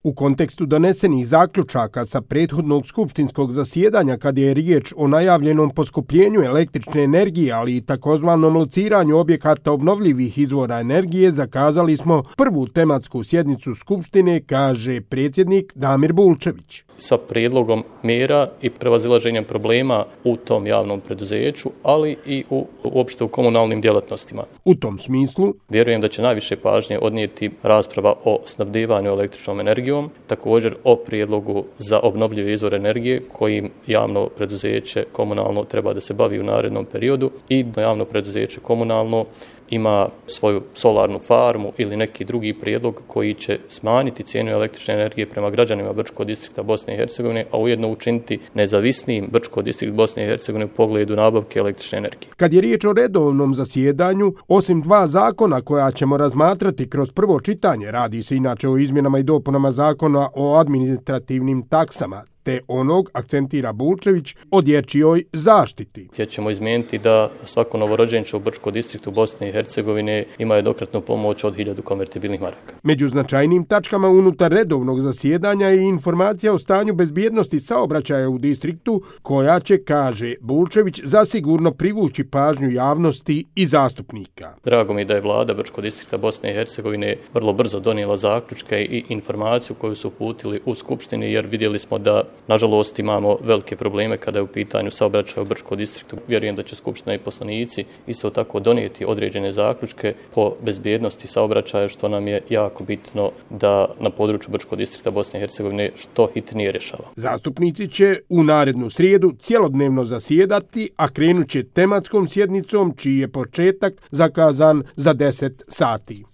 U kontekstu donesenih zaključaka sa prethodnog skupštinskog zasjedanja kada je riječ o najavljenom poskupljenju električne energije, ali i takozvanom lociranju objekata obnovljivih izvora energije, zakazali smo prvu tematsku sjednicu Skupštine, kaže predsjednik Damir Bulčević. Sa prijedlogom mjera i prevazilaženjem problema u tom javnom preduzeću, ali i uopšte u komunalnim djelatnostima. U tom smislu vjerujem da će najviše pažnje odnijeti rasprava o snabdevanju električnom energijom, također o prijedlogu za obnovljive izvore energije kojim javno preduzeće komunalno treba da se bavi u narednom periodu i da javno preduzeće komunalno ima svoju solarnu farmu ili neki drugi prijedlog koji će smanjiti cijenu električne energije prema građanima Brčkog distrikta Bosne i Hercegovine, a ujedno učiniti nezavisnijim Brčkog distrikt Bosne i Hercegovine u pogledu nabavke električne energije. Kad je riječ o redovnom zasjedanju, osim dva zakona koja ćemo razmatrati kroz prvo čitanje, radi se inače o izmjenama i dopunama zakona o administrativnim taksama, te onog, akcentira Bulčević, o dječjoj zaštiti. Gdje ćemo izmijeniti da svako novorođenče u Brčkom distriktu Bosne i Hercegovine ima jednokratnu pomoć od 1000 konvertibilnih maraka. Među značajnim tačkama unutar redovnog zasjedanja je informacija o stanju bezbjednosti saobraćaja u distriktu, koja će, kaže Bulčević, zasigurno privući pažnju javnosti i zastupnika. Drago mi da je vlada Brčkog distrikta Bosne i Hercegovine vrlo brzo donijela zaključke i informaciju koju su uputili u Skupštini, jer vidjeli smo da nažalost imamo velike probleme kada je u pitanju saobraćaja u Brčkom distriktu. Vjerujem da će Skupština i poslanici isto tako donijeti određene zaključke po bezbjednosti saobraćaja, što nam je jako bitno da na području Brčkog distrikta Bosne i Hercegovine što hitnije rješava. Zastupnici će u narednu srijedu cjelodnevno zasjedati, a krenut će tematskom sjednicom čiji je početak zakazan za 10 sati.